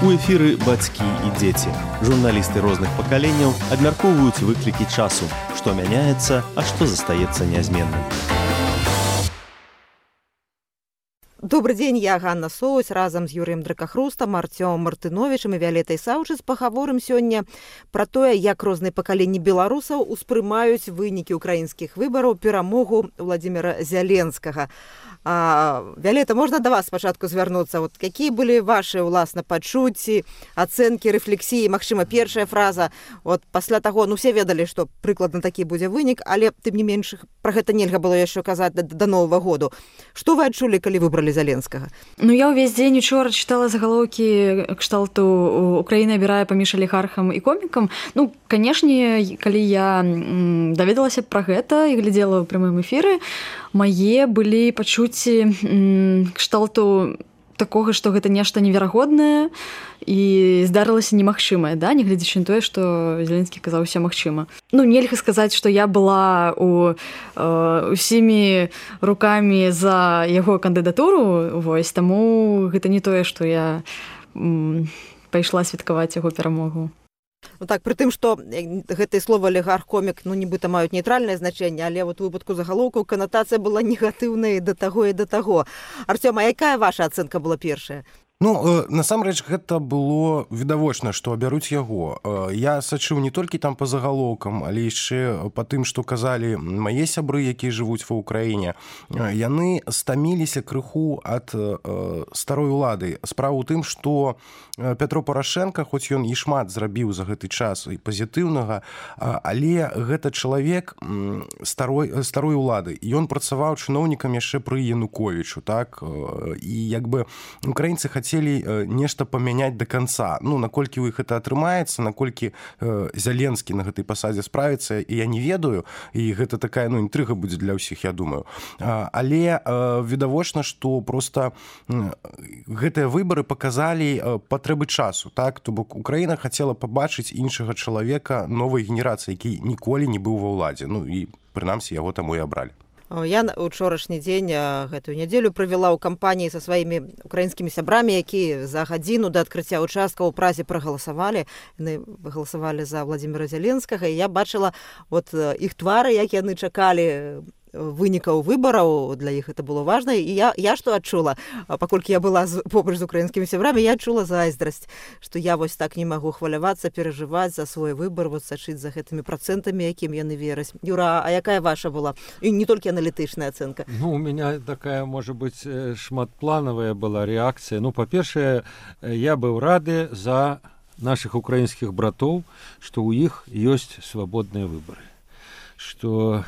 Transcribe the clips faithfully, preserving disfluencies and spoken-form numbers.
У эфіры бацькі і дзеці. Журналісты розных пакаленняў абмяркоўваюць выклікі часу, што мяняецца, а што застаецца нязменным. Добрый дзень, я Ганна Соусь, разам з Юрыем Дракахрустам, Артёмом Мартыновічам і Віолетай Саўчыц пагаворым сёння пра тое, як розныя пакаленні беларусаў успрымаюць вынікі ўкраінскіх выбараў, перамогу Владзіміра Зяленскага. А, Віолета, можна да вас спачатку звярнуцца? Вот, якія былі вашы, уласна, пачуцці, ацэнкі, рэфлексіі? Магчыма, першая фраза, вот, пасля таго, ну, все ведалі, што прыкладна такі будзе вынік, але, тым не менш, пра гэта нельга было яшчэ казаць да, да Новага году. Што вы адчулі, калі выбралі Зяленскага? Ну, я ўвесь дзень учора чытала загалоўкі кшталту «Украіна абірае паміж алігархам і комікам». Ну, канешне, калі я даведалася пра гэта і глядзела ў прямым эфіры, мае былі пачуцці кшталту такога, што гэта нешта неверагоднае і здарылася немагчымае, да? Нягледзячы на тое, што Зеленскі казаў усё магчыма. Ну, нельга сказаць, што я была у, э, усімі рукамі за яго кандыдатуру, вось, таму гэта не тое, што я м, пайшла святкаваць яго перамогу. Ну так, пры тым, што гэтыя словы алігарх-комік, ну, нібыта маюць нейтральнае значэнне, але вот у выпадку загалоўкаў канатацыя была негатыўная да таго і да таго. Артём, а якая ваша ацэнка была першая? Ну, насамрэч, гэта было відавочна, што абяруць яго. Я сачыў не толькі там па загалоўкам, але яшчэ па тым, што казалі мае сябры, якія жывуць ва ўкраіне. Яны стаміліся крыху ад старой улады. Справа ў тым, што Пятро Парашенка, хоць ён і шмат зрабіў за гэты час і пазітыўнага, але гэта чалавек старой, старой улады. Ён працаваў чыноўнікам яшчэ пры Януковічу, так? І як бы украінцы хацелі хацелі нешта памяняць да канца. Ну, наколькі ў іх гэта атрымаецца, наколькі э, Зяленскі на гэтай пасадзе справіцца, і я не ведаю, і гэта такая, ну, інтрыга будзе для ўсіх, я думаю. А, але э, відавочна, што проста э, гэтыя выбары паказалі э, патрэбы часу, так? То бок Украіна хацела пабачыць іншага чалавека новай генерацыі, які ніколі не быў ва ўладзе. Ну, і прынамсі яго таму і абралі. Я учорашні дзень гэтую нядзелю правяла ў кампаніі са сваімі украінскімі сябрамі, якія за гадзіну да адкрыцця ўчасткаў у Празе прагаласавалі. Яны галасавалі за Владзіміра Зяленскага, і я бачыла вот іх твары, як яны чакалі вынікаў выбараў, для іх это было важна. І я, я што адчула, паколькі я была з, побач з украінскімі сябрамі, я адчула зайздрасць, што я вось так не магу хвалявацца, перажываць за свой выбар, вот сачыць за гэтымі працэнтамі, якім яны вераць. Юра, а якая ваша была? І не толькі аналітычная ацэнка. Ну, у меня такая, может быть, шматплановая была реакция. Ну, па-першае, я быў рады за наших украінскіх братоў, што ў іх ёсць свабодныя выбары. Што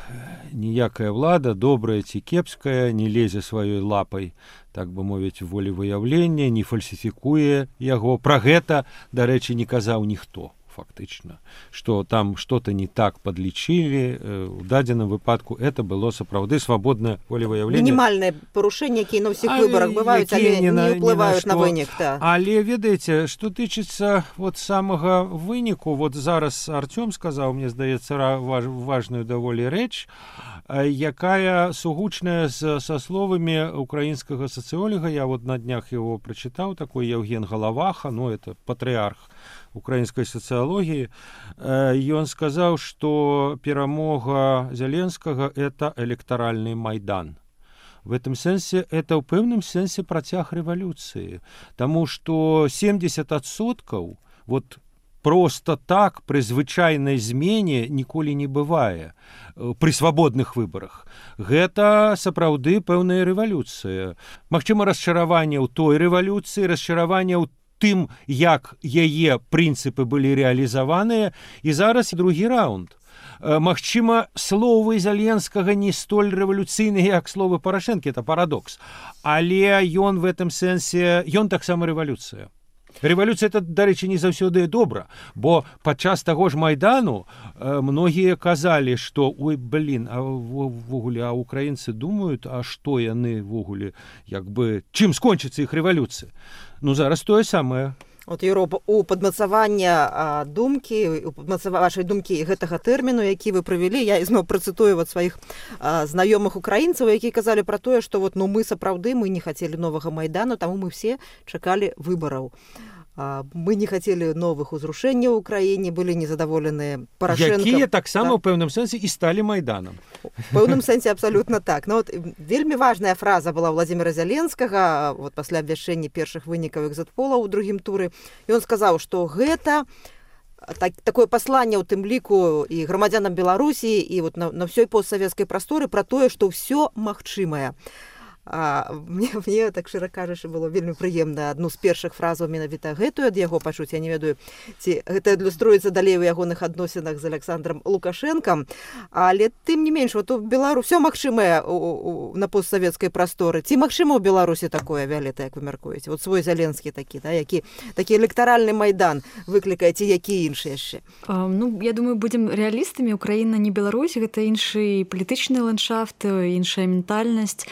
ніякая ўлада, добрая ці кепская, не лезе сваёй лапай, так бы мовіць, волевыяўлення, не фальсіфікуе яго. Пра гэта, дарэчы, не казаў ніхто, фактычна. Што там што-то не так падлічылі. У дадзеным выпадку это было сапраўды свабоднае волевыяўленне. Мінімальнае парушэнне, якія на ўсіх выбарах бываюць, але не, не ўплываюць на, на вынік. Да. Але ведаеце, што тычыцца вот самага выніку, вот зараз Артём сказаў, мне здаецца, важ, важную даволі рэч, якая сугучная з, са словамі украінскага сацыолога. Я вот на днях его прачытаў, такой Евген Галаваха, ну, это патрыарх украінскай сацыялогіі. Ён сказаў, што перамога Зяленскага — это электаральны майдан. В этом сэнсе это ў пэўным сэнсе працяг рэвалюцыі, таму што семьдесят адсоткаў вот просто так пры звычайнай змене ніколі не бывае пры свабодных выбарах. Гэта сапраўды пэўная рэвалюцыя. Магчыма, расчараванне ў той рэвалюцыі, расчараванне ў тым, як яе прынцыпы былі рэалізаваныя, і зараз другі раунд. Магчыма, словы Зяленскага не столь рэвалюцыйныя, як словы Парашэнкі, это парадокс. Але ён в этом сэнсе, ён таксама рэвалюцыя. Рэвалюцыя — это, дарэчы, не заўсёды добра, бо падчас таго ж Майдану э, многія казалі, што ой, блин, а ввогуле, а украінцы думаюць, а што яны ввогуле, як бы, чым скончыцца іх рэвалюцыя? Ну, зараз тое самае. От, Юро, у падмацавання думкі, у падмацавання вашай думкі гэтага тэрміну, які вы правялі, я ізноў працытую вот сваіх а, знаёмых украінцаў, якія казалі пра тое, што вот, ну, мы сапраўды мы не хацелі новага Майдану, таму мы все чакалі выбараў. мы не хацелі новых узрушэнняў у краіне, былі незадаволеныя Парашэнкам. Якія таксама ў пэўным сэнсе і сталі майданам. У пэўным сэнсе абсалютна так. Но вот вельмі важная фраза была Владзіміра Зяленскага вот пасля абвяшчэння першых вынікаў экзит-пола ў другім туры. Ён сказаў, што гэта так, такое пасланне ў тым ліку і грамадзянам Беларусі і вот на, на ўсёй постсавецкай прасторы пра тое, што ўсё магчымае. А, мне, мне так шчыра кажучы было вельмі прыемна адну з першых фразаў менавіта гэтую ад яго пачуць. Я не ведаю, ці гэта адлюструецца далей у ягоных адносінах з Александром Лукашэнкам, але тым не менш вот у Беларусі ўсё магчымае у, у, на постсавецкай прасторы. Ці магчыма ў Беларусі такое, Віолетта, як вы мяркуеце? Вот свой Зяленскі такі, да, які такі электаральны майдан выклікае, ці які іншы яшчэ? А, ну, я думаю, будзем рэалістамі. Украіна не Беларусь, гэта іншы палітычны ландшафт, іншая ментальнасць.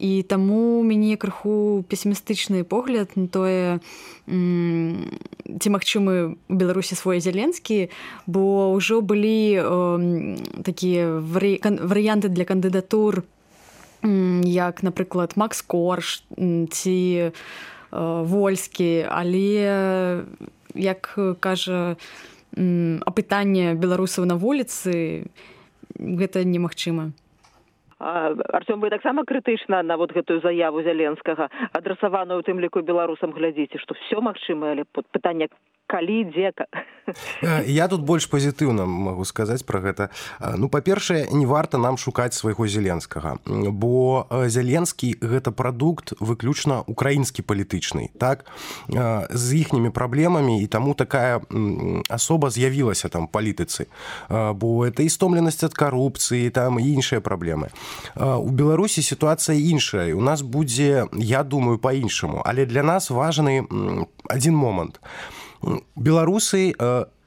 І таму мяне крыху песімістычны погляд на тое, ці магчымы у Беларусі свой Зяленскі, бо ўжо былі такія варыянты для кандыдатур, як, напрыклад, Макс Корж ці Вольскі, але, як кажа апытанне беларусаў на вуліцы, гэта немагчыма. Артём, вы таксама крытычна на вот гэтую заяву Зяленскага, адрасаваную у тым ліку беларусам, глядзіце, што все магчыма, але пытанне калі, дзе? Я тут больш пазітыўна магу сказаць пра гэта. Ну, па-першае, не варта нам шукаць свайго Зяленскага, бо Зяленскі гэта прадукт выключна украінскі палітычны, так? З іхнімі праблемамі, і таму такая асоба з'явілася там палітыцы, бо это і стомленасць ад карупцыі, там і іншыя праблемы. У Беларусі сітуацыя іншая, у нас будзе, я думаю, па-іншаму, але для нас важны адзін момант. Беларусы,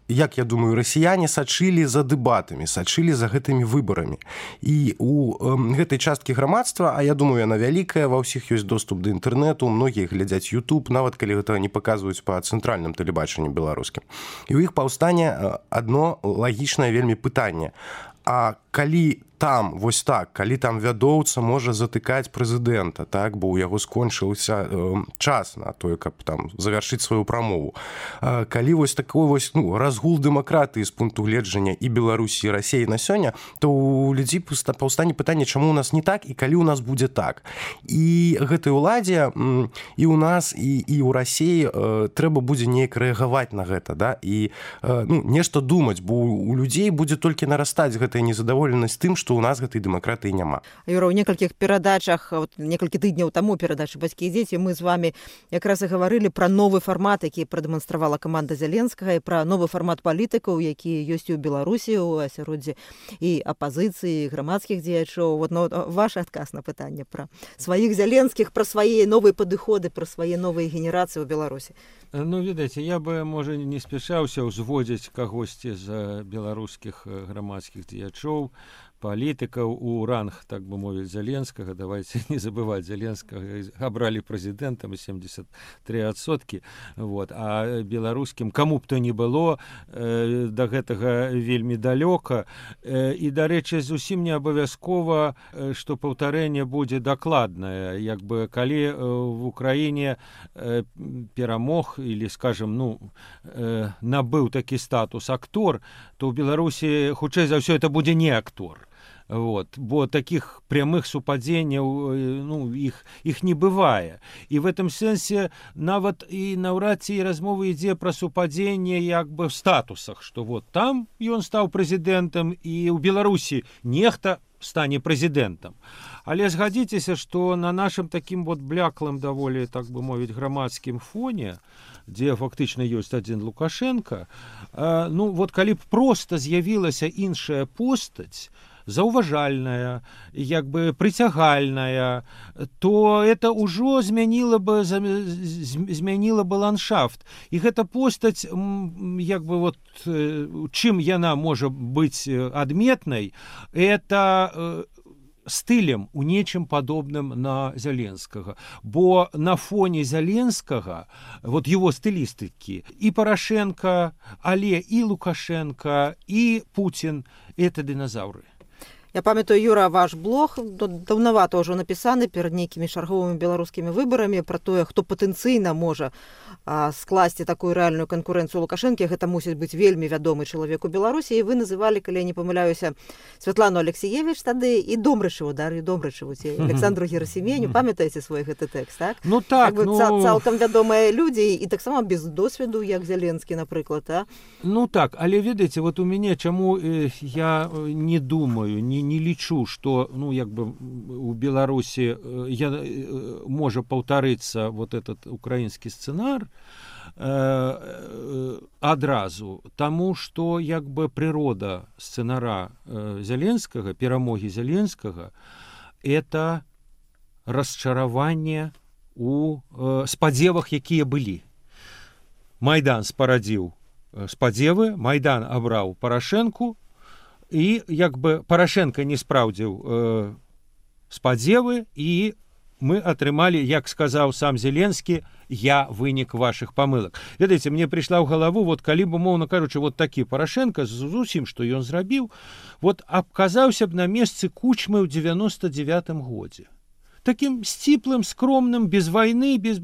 як я думаю, расіяне сачылі за дэбатамі, сачылі за гэтымі выбарамі. І у гэтай часткі грамадства, а я думаю, яна вялікая, ва ўсіх ёсць доступ да інтэрнэту, многія глядзяць YouTube, нават калі гэта не паказваюць па цэнтральным тэлебачанні беларускім. І ў іх паўстане адно лагічнае вельмі пытанне. А калі там, вось так, калі там вядоўца можа затыкаць прэзідэнта, так, бо ў яго скончыўся э, час на тое, каб там завяршыць сваю прамову. А, калі вось такой вось, ну, разгул дэмакратыі з пункту гледжання і Беларусі, і Расіі на сёння, то ў людзей паўстане пытанне, чаму у нас не так і калі ў нас будзе так. І гэтай уладзе і ў нас, і, і ў Расіі э, трэба будзе неяк рэагаваць на гэта, да, і э, ну, нешта думаць, бо у людзей будзе толькі нарастаць гэтая незадаволенасць тым, што у нас гэтай дэмакратыі няма. Юра, у некалькіх перадачах, вот, некалькі тыдняў таму перадачы «Бацькі і дзеці» мы з вами якраз і гаварылі пра новы фармат, які прадэманстравала каманда Зяленскага, і пра новы фармат палітыкаў, які ёсць і ў Беларусі, у асяроддзі і апазіцыі, і грамадскіх дзеячоў. Вот, ну, ваш адказ на пытанне пра сваіх Зяленскіх, пра свае новыя падыходы, пра свае новыя генерацыі ў Беларусі. Ну, ведаеце, я бы, можа, не спяшаўся ўзводзіць кагосьці з беларускіх грамадскіх дзеячоў, палітыкаў у ранг, так бы мовіць, Зяленскага. Давайте не забываць, Зяленскага абралі прэзідэнтам семьдесят три адсоткі. Вот. А беларускім, каму б то не было, э, да гэтага вельмі далёка. Э, і, дарэчы, зусім не абавязкова, э, што паўтарэнне будзе дакладнае. Як бы, калі э, в Украіне э, перамог, или, скажем, ну, э, набыў такі статус актор, то ў Беларусі, хутчэй за ўсё, это будзе не актор. Вот, бо таких прямых супадзенняў, ну, іх, іх не бывае. І в этом сэнсе нават і наўрад ці размова ідзе пра супадзенне як бы в статусах, што вот там ён стаў прэзідэнтам, і ў Беларусі нехта стане прэзідэнтам. Але згадзіцеся, што на нашым такім вот бляклым даволі, так бы мовіць, грамадскім фоне, дзе фактычна ёсць адзін Лукашенко, э, ну, вот калі б проста з'явілася іншая постаць, заўважальная, як бы прыцягальная, то это ўжо змяніла бы, змяніла бы ландшафт. І гэта постаць, як бы вот, чым яна можа быць адметнай, это стылем у нечым падобным на Зяленскага. Бо на фоне Зяленскага, вот его стылістыкі, і Парашенко, але і Лукашенко, і Путин — это динозавры. Я памятаю, Юра, ваш блог даўнавата ўжо напісаны перад нейкімі чарговымі беларускімі выбарамі пра тое, хто патэнцыйна можа а, скласці такую рэальную канкурэнцыю Лукашэнкі. Гэта мусіць быць вельмі вядомы чалавек у Беларусі. І вы называлі, калі я не памыляюся, Святлану Алексеевич тады і Домрачеву, Дар'ю Домрачеву, ці Александру Герасіменю. Памятаеце свой гэты тэкст, так? Ну так, так ну... Ца цалкам вядомыя людзі і таксама без досведу, як Зеленскі, напрыклад, а? Ну так, але ведаеце, вот у мяне чаму э, я не думаю, не не лічу, што ну як бы у Беларусі я можа паўтарыцца вот этот украінскі сцэнар э, адразу, таму што як бы прырода сцэнара э, Зеленскага, перамогі Зеленскага, это расчараванне у э, спадзевах, якія былі. Майдан спарадзіў спадзевы, Майдан абраў Парашэнку, і як бы Парашенко не спраўдзіў э, спадзевы, і мы атрымалі, як сказаў сам Зеленскі, я вынік вашых памылак. Ведаеце, мне прыйшла ў галаву, вот калі б, умоўна кажучы, вот такі Парашенко з усім, што ён зрабіў, вот абказаўся б на месцы Кучмы ў дзевяноста дзевятым годзе. Такім сціплым, скромным, без вайны, без...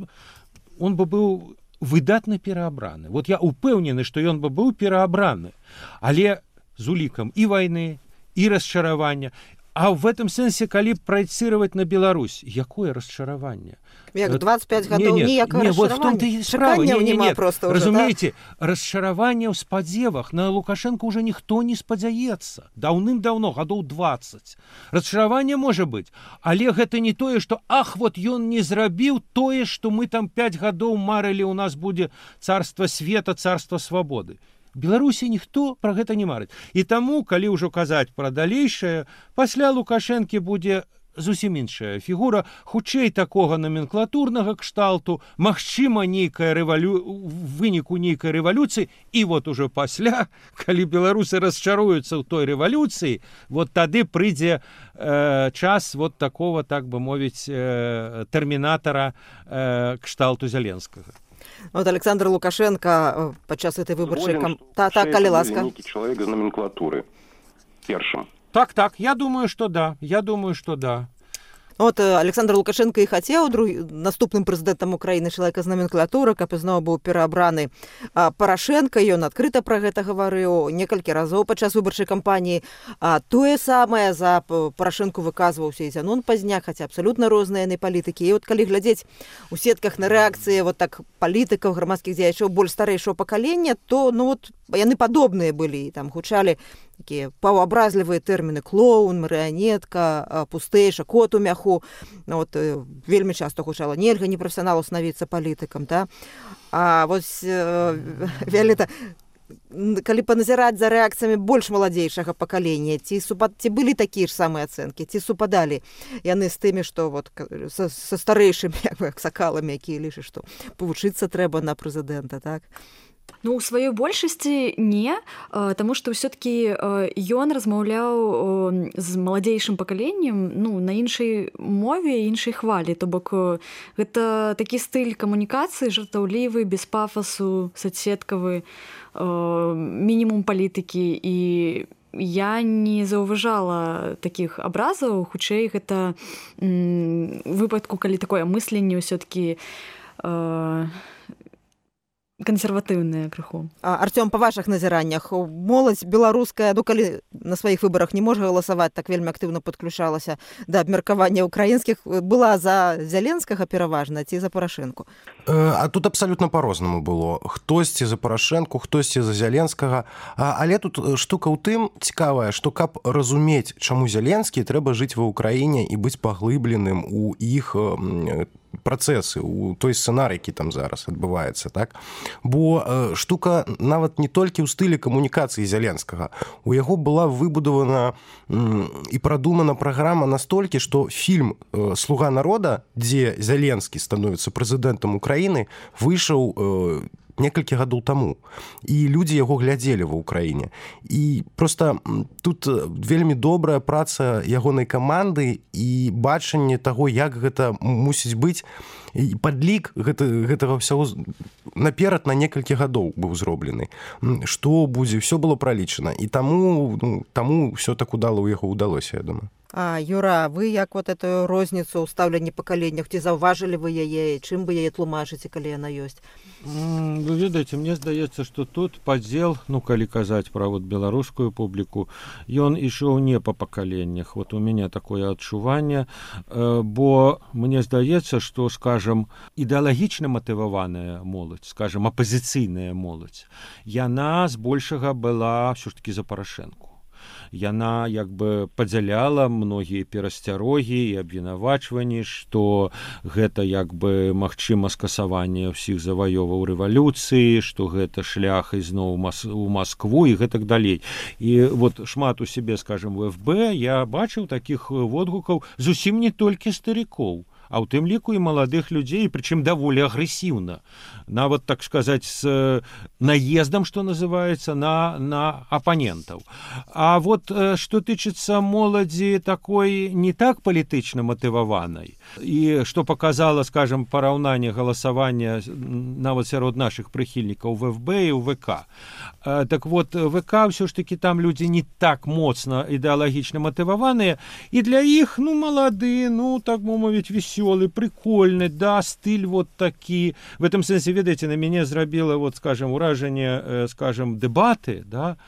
он бы быў выдатна пераабраны. Вот я упэўнены, што ён бы быў пераабраны, але з улікам і вайны, і расчаравання. А в этом сэнсе, калі праецыраваць на Беларусь, якое расчараванне? Як двадцать пять гадоў ніякае расчаравання? Вот в том-то і справа. Не, не, не. Разумееце, да? Расчараванне ў спадзевах на Лукашенко уже ніхто не спадзяецца. Даўным-даўно, гадоў двадцать. Расчараванне можа быць, але гэта не тое, што ах, вот ён не зрабіў тое, што мы там пять гадоў марылі, у нас будзе царства света, царства свабоды. Беларусі ніхто пра гэта не марыць. І таму, калі ўжо казаць пра далейшае, пасля Лукашэнкі будзе зусім іншая фігура, хутчэй такога номенклатурнага кшталту, магчыма, нейкая рэвалю... выніку нейкай рэвалюцыі, і вот ужо пасля, калі беларусы расчаруюцца ў той рэвалюцыі, вот тады прыйдзе э, час вот такого, так бы мовіць, э, тэрмінатара э, кшталту Зеленскага. Вот Александр Лукашенко падчас этой выбарчай кам... та, та, калі ласка. Чалавек з номенклатуры першым. Так, так, я думаю, что да. Я думаю, что да. Вот Александр Лукашенко і хацеў друг... наступным прэзідэнтам Украіны чалавека з номенклатуры, каб ізноў быў пераабраны Парашенко, ён адкрыта пра гэта гаварыў некалькі разоў падчас выбарчай кампаніі. А тое самае за Парашенко выказваўся і Зянон Пазняк, хаця абсалютна розныя яны палітыкі. І вот калі глядзець у сетках на рэакцыі вот так палітыкаў, грамадскіх дзеячоў больш старэйшого пакалення, то ну вот яны падобныя былі, там гучалі такія паўабразлівыя тэрміны: клоун, марыянетка, пустэйша, кот у мяху. Ну, вот, вельмі часта гучала: нельга непрафесіоналу становіцца палітыкам. Да? А вось э, Віолета, калі паназіраць за рэакцыямі больш маладзейшага пакалення, ці, супад... ці былі такія ж самыя ацэнкі, ці супадалі яны з тымі, што вот, са, са старэйшымі як, як сакаламі, якія лічаць, што павучыцца трэба на прэзідэнта, так? Ну, у сваёй большасці не, таму што ўсё-такі ён размаўляў з маладзейшым пакаленнем, ну, на іншай мове, іншай хвалі. То бок гэта такі стыль камунікацыі, жартаўлівы, без пафасу, соцсеткавы, мінімум палітыкі. І я не заўважала такіх абразаў, хутчэй гэта выпадку, калі такое мысленне ўсё-такі кансерватыўныя крыху. А, Артём, па вашых назіраннях, моладзь беларуская, ну, калі на сваіх выбарах не можа галасаваць, так вельмі актыўна падключалася да абмеркавання украінскіх, была за Зеленскага пераважна ці за Парашэнку? А тут абсалютна па-рознаму было. Хтосьці за Парашэнку, хтосьці за Зеленскага. Але тут штука ў тым цікавая, што каб разумець, чаму Зеленскі, трэба жыць ва ўкраіне і быць паглыбленым у іх працэсы, у той сцэнар, які там зараз адбываецца, так? Бо э, штука нават не толькі ў стылі камунікацыі Зеленскага. У яго была выбудавана м, і прадумана праграма настолькі, што фільм э, «Слуга народа», дзе Зеленскі становіцца прэзідэнтам Украіны, выйшаў э, некалькі гадоў таму. І людзі яго глядзелі ва ўкраіне. І проста тут вельмі добрая праца ягонай каманды і бачанне таго, як гэта мусіць быць. І падлік гэта, гэтага ўсяго наперад на некалькі гадоў быў зроблены. Што будзе, ўсё было пралічана. І таму, ну, таму ўсё так удала ў яго ўдалося, я думаю. А, Юра, вы як вот эту розніцу ў стаўленні пакаленнях, ці заўважылі вы яе, чым вы яе тлумачыце, калі яна ёсць? Вы ведаеце, мне здаецца, што тут падзел, ну, калі казаць пра вот беларускую публіку, ён ішоў не па пакаленнях. Вот у мяне такое адчуванне, бо мне здаецца, што, скажам, ідэалагічна матываваная моладзь, скажам, апазіцыйная моладзь, яна збольшага была ўсё ж такі за Парашэнку. Яна як бы падзяляла многія перасцярогі і абвінавачванні, што гэта як бы магчыма скасаванне ўсіх заваёваў рэвалюцыі, што гэта шлях ізноў у Маскву і гэтак далей. І вот шмат у сябе, скажем, у эф бэ я бачыў такіх водгукаў зусім не толькі старикоў, а ў тым ліку і маладых людзей, прычым даволі агрэсіўна. Нават, так сказаць, з наездам, што называецца, на, на апанентаў. А вот што тычыцца моладзі такой не так палітычна матываванай, і што паказала, скажем, параўнанне галасавання нават сярод нашых прыхільнікаў в эф бэ і ў вэ ка. Так вот, вэ ка ўсё ж такі там людзі не так моцна ідэалагічна матываваныя, і для іх, ну, малады, ну, так бы мовіць, весёлы, прикольны, да, стыль вот такі. В этом сэнсе, ведаеце, на мяне зрабіла, вот, скажем, уражанне, скажем, дэбаты, да,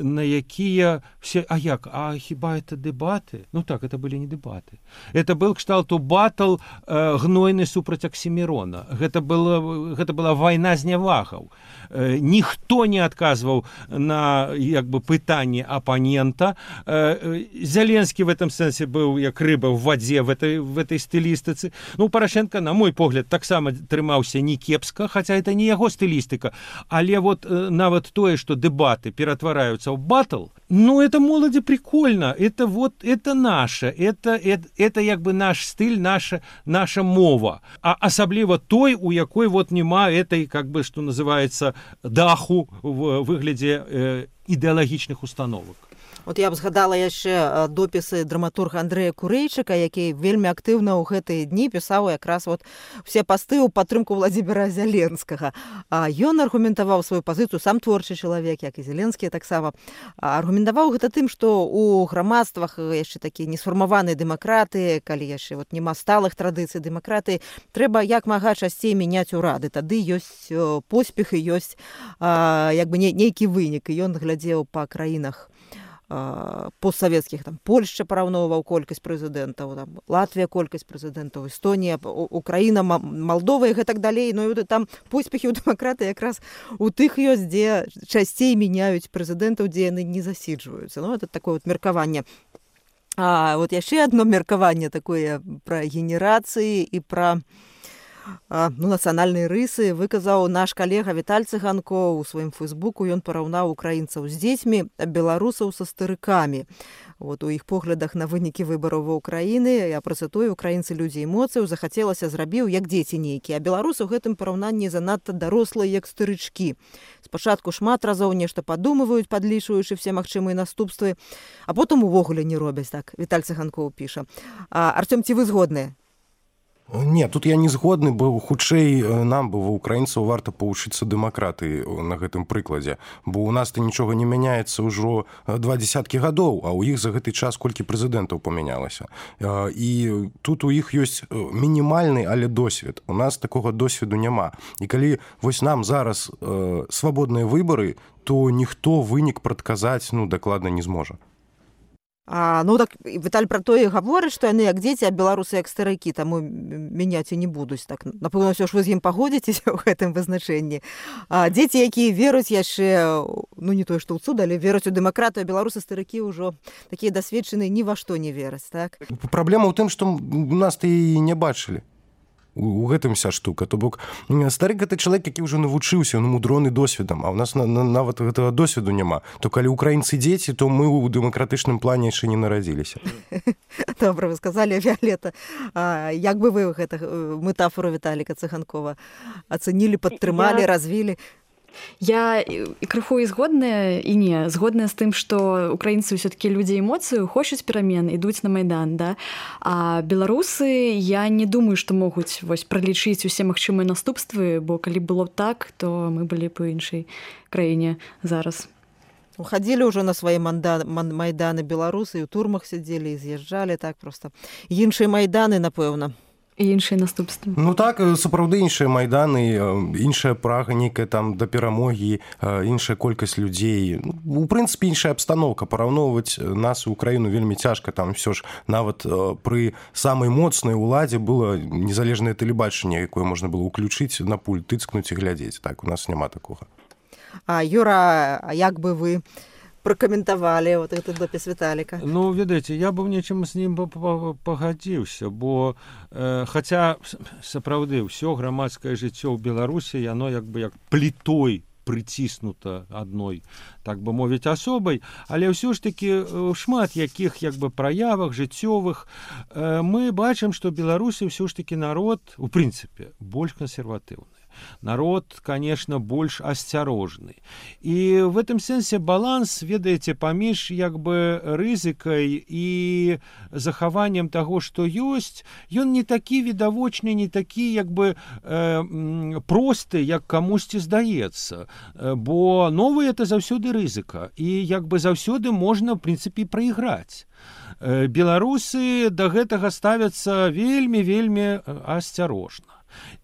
на якія все, а як, а хіба это дэбаты? Ну так, это былі не дэбаты. Это был кшталту батл гнойны супраць Аксімірона. Гэта была, гэта была вайна знявагаў. Ніхто не адказваў на, як бы, пытанне апанента. Зеленскі в этом сэнсе быў як рыба в вадзе в этой, в этой стылістыцы. Ну, Парашенко, на мой погляд, таксама трымаўся не кепска, хаця это не яго стылістыка, але вот нават тое, што дэбаты ператвараюцца ў батл, ну, это моладзі прикольно, это вот, это наше, это, это, это як бы наш стыль, наша, наша мова. А асабліва той, у якой вот нема этой, как бы, што называецца, даху в выглядзе э, ідэалагічных установак. Вот я б згадала яшчэ допісы драматурга Андрэя Курэйчыка, які вельмі актыўна ў гэтыя дні пісаў якраз вот все пасты ў падтрымку Владзіміра Зяленскага. Ён аргументаваў сваю пазіцыю, сам творчы чалавек, як і Зеленскі таксама. Аргументаваў гэта тым, што ў грамадствах яшчэ такія несфармаваныя дэмакраты, калі яшчэ вот нема сталых традыцый дэмакраты, трэба як мага часцей мяняць урады. Тады ёсць поспех і ёсць як бы нейкі вынік. І ён глядзеў па краінах постсавецкіх, там, Польшча параўноўваў колькасць прэзідэнтаў, там, Латвія колькасць прэзідэнтаў, Эстонія, Украіна, Малдова і гэтак далей. Ну, і там поспехі ў дэмакраты якраз у тых ёсць, дзе часцей мяняюць прэзідэнтаў, дзе яны не засіджваюцца. Ну, это такое вот меркаванне. А вот яшчэ адно меркаванне такое пра генерацыі і пра ну, нацыянальныя рысы выказаў наш калега Віталь Цыганко ў сваім фэйсбуку. Ён параўнаў украінцаў з дзецьмі, а беларусаў са старыкамі. Вот у іх поглядах на вынікі выбараў ва Ўкраіны, я працытую, украінцы людзі эмоцыяў, захацелася зрабіў як дзеці нейкія, а беларусы ў гэтым параўнанні занадта дарослыя як старычкі. Спачатку шмат разоў нешта падумваюць, падлічваючы все магчымыя наступствы, а потым увогуле не робяць. Так Віталь Цыганкоў піша. А, Артём, ці вы згодныя? Не, тут я не згодны, бо хутчэй нам бы ва украінцаў варта павучыцца дэмакраты на гэтым прыкладзе, бо ў нас-то нічога не мяняецца ўжо два дзесяткі гадоў, а ў іх за гэты час колькі прэзідэнтаў памянялася. І тут у іх ёсць мінімальны, але досвед. У нас такога досведу няма. І калі вось нам зараз э, свабодныя выбары, то ніхто вынік прадказаць, ну, дакладна не зможа. А, ну так Віталь пра тое гаворыць, што яны як дзеці, а беларусы як старыкі, таму мяняць і не будуць. Так, напэўна, ўсё ж вы з ім пагодзіцеся ў гэтым вызначэнні. А дзеці, якія веруць яшчэ, ну не тое, што ў цуд, але веруць у дэмакратыю, беларусы старыкі ўжо такія дасведчаныя, ні во што не вераць, так? Праблема ў тым, што у нас-то і не бачылі. У гэтым вся штука. То бок старык гэта чалавек, які ўжо навучыўся, ну, мудроны досведам, а ў нас на, на, нават гэтага досведу няма. То калі украінцы дзеці, то мы ў дэмакратычным плане яшчэ не нарадзіліся. Добра, вы сказалі, Віолета. А, як бы вы гэта метафору Віталіка Цыганкова ацэнілі, падтрымалі, Я... развілі? Я і крыху і згодная, і не. Згодная з тым, што украінцы ўсё-такі людзі эмоцыю, хочуць перамен, ідуць на Майдан, да? А беларусы, я не думаю, што могуць вось пралічыць усе магчымыя наступствы, бо калі было б так, то мы былі б у іншай краіне зараз. Хадзілі ўжо на свае манда... майданы беларусы, і ў турмах сядзелі, і з'язджалі, так проста. Іншыя майданы, напэўна. І іншыя наступствы. Ну так, сапраўды іншыя майданы, іншая прага нейкая там да перамогі, іншая колькасць людзей. У прынцыпе, іншая абстаноўка. Параўноўваць нас і Украіну вельмі цяжка. Там ўсё ж нават пры самай моцнай уладзе было незалежнае тэлебачанне, якое можна было ўключыць на пульт, тыцкнуць і глядзець. Так, у нас няма такога. А, Юра, а як бы вы пракаментавалі вот этот допіс Віталіка? Ну, ведаеце, я бы ў нечым з ім пагадзіўся, бо э, хаця сапраўды ўсё грамадскае жыццё ў Беларусі, яно як бы як плітой прыціснута адной, так бы мовіць, асобай, але ўсё ж такі ў шмат якіх як бы праявах жыццёвых э, мы бачым, што Беларусі ўсё ж такі народ, у прынцыпе, больш кансерватыўны. Народ, конечно, больш асцярожны. І в этом сэнсе баланс, ведаеце, паміж як бы рызыкай і захаваннем таго, што ёсць, ён не такі відавочны, не такі як бы э, просты, як камусьці здаецца. Бо новае это заўсёды рызыка. І як бы заўсёды можна, в прынцыпе, прайграць. Беларусы да гэтага ставяцца вельмі-вельмі асцярожна.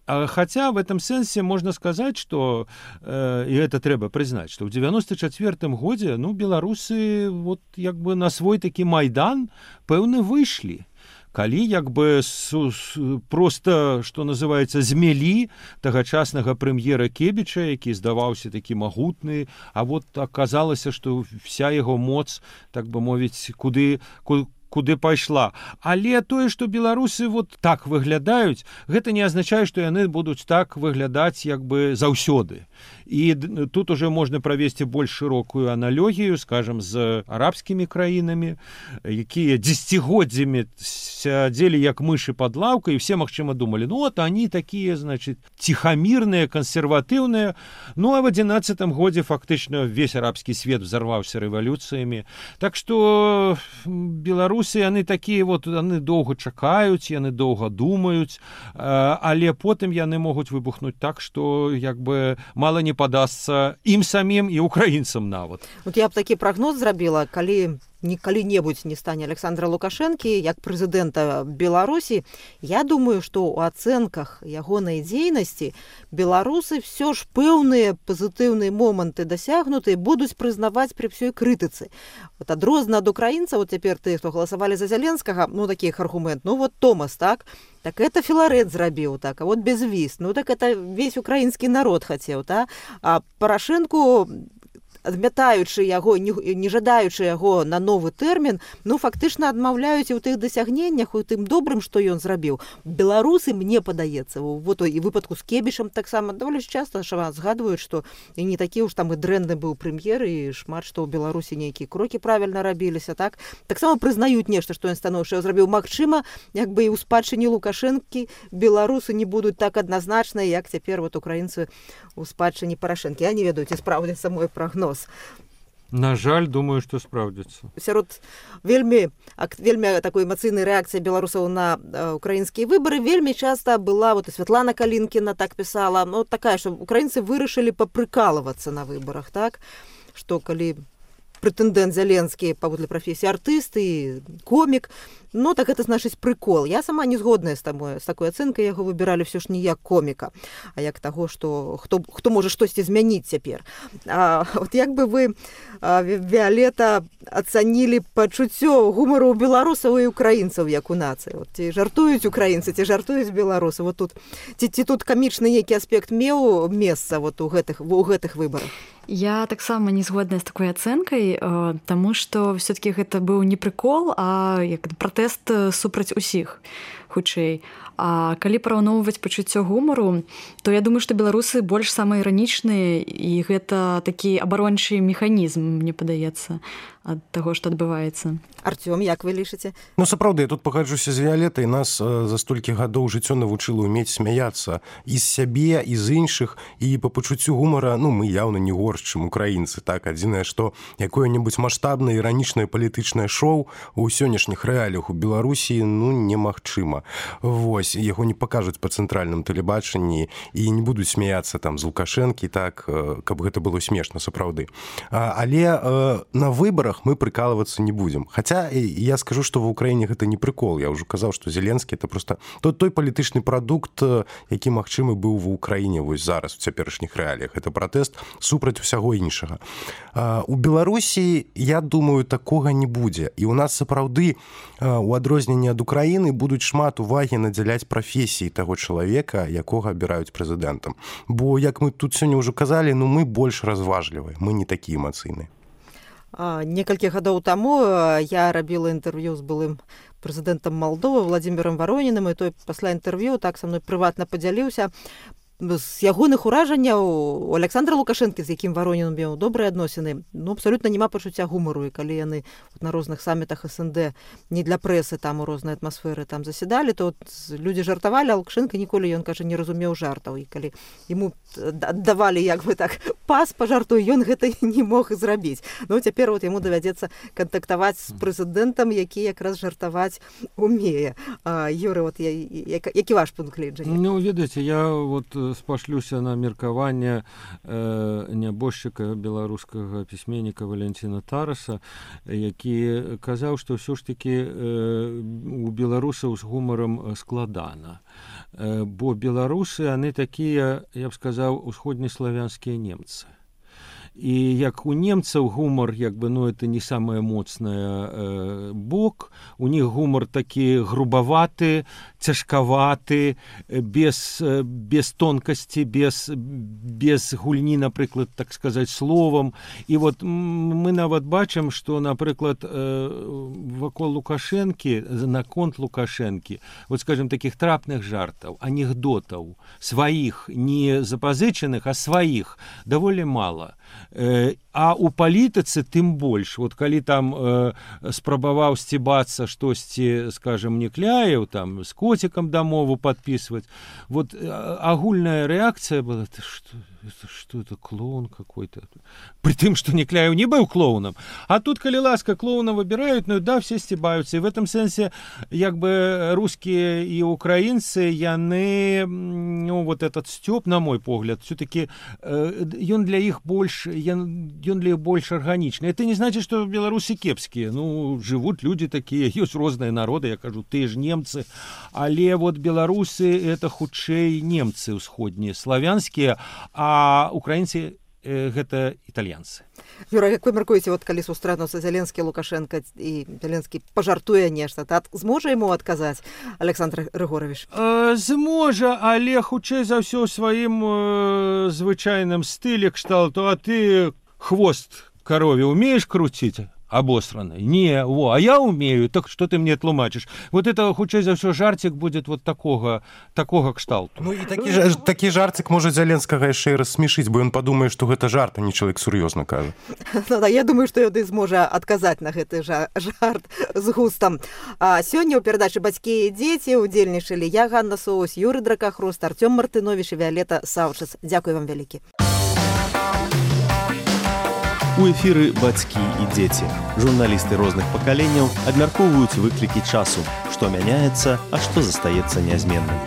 Хаця в этом сэнсе можна сказаць, што э, і гэта трэба прызнаць, што ў дзевяноста чацвёртым годзе ну беларусы вот як бы на свой такі майдан пэўны выйшлі. Калі як бы су, су, просто, што называецца, змелі тагачаснага прэм'ера Кебіча, які здаваўся такі магутны, а вот аказалася, што вся яго моц, так бы мовіць, куды, куды куды пайшла. Але тое, што беларусы вот так выглядаюць, гэта не азначае, што яны будуць так выглядаць як бы заўсёды. І тут уже можна правесці больш шырокую аналогію, скажем, з арабскімі краінамі, якія дзесяцігоддзямі сядзелі як мышы пад лаўкай, і все, магчыма, думалі, ну вот они такія, значит, ціхамірныя, кансерватыўныя. Ну а в адзінаццатым годзе фактычна весь арабскі свет взорваўся рэвалюцыямі. Так што беларусы, яны такія вот, яны доўга чакаюць, яны доўга думаюць, але потым яны могуць выбухнуць так, што як бы мала не падасца ім самім і украінцам нават. Вот я б такі прагноз зрабіла, калі калі-небудзь не стане Александра Лукашэнкі як прэзідэнта Беларусі, я думаю, што ў ацэнках ягонай дзейнасці беларусы все ж пэўныя пазітыўныя моманты дасягнутыя будуць прызнаваць пры ўсёй крытыцы. Вот адрозна ад украінцаў, вот цяпер ты, хто галасавалі за Зяленскага, ну такіх аргумент, ну вот Томас, так? Так это Філарэт зрабіў, так, а вот безвіз, ну так это весь украінскі народ хацеў, так? А Парашэнку, адмятаючы яго, не, не жадаючы яго на новы тэрмін, ну фактычна адмаўляюць і ў тых дасягненнях, у тым добрым, што ён зрабіў. Беларусы, мне падаецца, вот і выпадку з Кебічам таксама даволі часта згадваюць, што і не такі уж там і дрэнны быў прэм'ер, і шмат што ў Беларусі нейкія крокі правільна рабіліся, так? Таксама прызнаюць нешта, што ён станоўча зрабіў. Магчыма, як бы і ў спадчыне Лукашэнкі беларусы не будуць так адназначна, як цяпер вот украінцы у спадчыне Парашэнкі. Я не ведаю, ці спраўдзіцца мой прагноз. На жаль, думаю, што спраўдзіцца. Сярод вельмі, вельмі такой эмацыйнай рэакцыі беларусаў на украінскія выбары вельмі часта была, вот і Святлана Калінкіна так пісала, ну такая, што украінцы вырашылі папрыкалывацца на выбарах, так? Што калі прэтэндэнт Зяленскі паводле прафесіі артыст і комік, ну так это значыць прыкол. Я сама не згодная з тамой, з такой ацэнкай, яго выбіралі ўсё ж не як коміка, а як таго, што хто, хто можа штосьці змяніць цяпер. А вот як бы вы, Віолета, ацанілі пачуццё гумару ў беларусаў і украінцаў як у нацыі? Вот, ці жартуюць украінцы, ці жартуюць беларусы? Вот тут, ці, ці тут камічны нейкі аспект меў месца вот у гэтых, у гэтых выбарах? Я таксама не згодная з такой ацэнкай, таму што все-таки гэта быў не прыкол, а як пратэст супраць усіх. хутчэй. А калі параўноўваць пачуццё гумару, то я думаю, што беларусы больш самаіранічныя, і гэта такі абарончы механізм, мне падаецца, ад таго, што адбываецца. Артём, як вы лічыце? Ну, сапраўды, я тут пагаджуся з Віалетай. Нас за столькі гадоў жыццё навучыла ўмець смяяцца і з сябе, і з іншых, і па пачуццю гумара, ну, мы яўна не горш, чым украінцы, так? Адзінае, што якое-небудзь маштабнае, іранічнае палітычнае шоу у сённяшніх рэаліях у Беларусі, ну, немагчыма. Вось, яго не пакажуць па цэнтральным тэлебачанні і не будуць смяяцца там з Лукашэнкі, так, каб гэта было смешна, сапраўды. Але на выбарах мы прыкалывацца не будзем. Хаця я скажу, што ва ўкраіне гэта не прыкол. Я ўжо казаў, што Зеленскі это просто тот той палітычны прадукт, які магчымы быў ва ўкраіне вось зараз у цяперашніх рэаліях. Это пратэст супраць усяго іншага. У Беларусі, я думаю, такога не будзе. І ў нас сапраўды у адрозненні ад Украіны будуць шмат увагі надзяляць прафесіі таго чалавека, якога абіраюць прэзідэнтам. Бо, як мы тут сёння ўжо казалі, ну мы больш разважлівыя, мы не такі эмацыйныя. Некалькі гадоў таму я рабіла інтэрв'ю з былым прэзідэнтам Малдовы Владзімірам Варонінам, і той пасля інтэрв'ю так са мной прыватна падзяліўся з ягоных уражанняў у Александра Лукашэнкі, з якім Варонін меў добрыя адносіны, ну, абсалютна няма пачуцця гумару, і калі яны на розных самітах СНД не для прэсы, там у рознай атмасферы там заседалі, то людзі жартавалі, а Лукашэнка ніколі, ён кажа, не разумеў жартаў, і калі яму аддавалі як бы так пас па жарту, ён гэта не мог зрабіць. Ну, цяпер вот яму давядзецца кантактаваць з прэзідэнтам, які якраз жартаваць умее. Юры, вот я, які ваш пункт гледжання? Ну, ведаеце, я вот спашлюся на меркаванне э, нябожчыка беларускага пісьменніка Валянціна Тараса, які казаў, што ўсё ж такі э, у беларусаў з гумарам складана. Э, бо беларусы, яны такія, я б сказаў, усходнеславянскія немцы. І як у немцаў гумар, як бы, ну, это не самае моцнае э, бок, у них гумар такі грубаваты, цяжкаваты, без, без тонкасці, без, без гульні, напрыклад, так сказаць, словам. І вот мы нават бачым, што, напрыклад, э, вакол Лукашэнкі, наконт Лукашэнкі, вот, скажем, такіх трапных жартаў, анекдотаў, сваіх, не запазычаных, а сваіх, даволі мала. А у палітыцы тым больш. Вот калі там э, спрабаваў сцібацца штосьці, скажем, Некляеў, там з коцікам дамову падпісваць, вот э, агульная рэакцыя была, ты што, это, что это, клоун какой-то. При тым, што Некляеў не быў клоунам. А тут, калі ласка, клоуна выбіраюць, ну да, все сцібаюцца. І в этом сэнсе, як бы, рускія і украінцы, яны, ну, вот этот сцёб, на мой погляд, все-таки э, ён для іх больш, ён, ён для іх больш арганічны. Это не значит, што беларусы кепскія. Ну, жывуць людзі такія, ёсць розныя народы, я кажу, тыя ж немцы. Але вот беларусы, это хутчэй немцы ўсходнія, славянскія, а украінцы э, гэта італьянцы. Юра, як вы мяркуеце, вот калі сустрэнуцца Зеленскі, Лукашенко і Зеленскі пажартуе нешта, так зможа яму адказаць Александр Григорович? Э, зможа, але хутчэй за ўсё ў сваім э, звычайным стылі кшталту, а ты хвост корове умеешь крутить? Обосранный. Не, во, а я умею, так что ты мне тлумачишь? Вот это, хутчэй за ўсё, жартик будет вот такого, такого кшталту. Ну і такі, такі жартик можа Зеленскага яшчэ і рассмешыць, бо ён падумае, што гэта жарт, а не чалавек сур'ёзна кажа. Ну, да, я думаю, што ён і зможа адказаць на гэты жарт з густам. А сёння ў перадачы «Бацькі і дзеці» удзельнічалі я, Ганна Соусь, Юры Дракахруст, Артём Мартынович і Віалета Саўчыц. Дзякуй вам вялікі. У эфіры «Бацькі і дзеці». Журналісты розных пакаленняў абмяркоўваюць выклікі часу, што мяняецца, а што застаецца нязменным.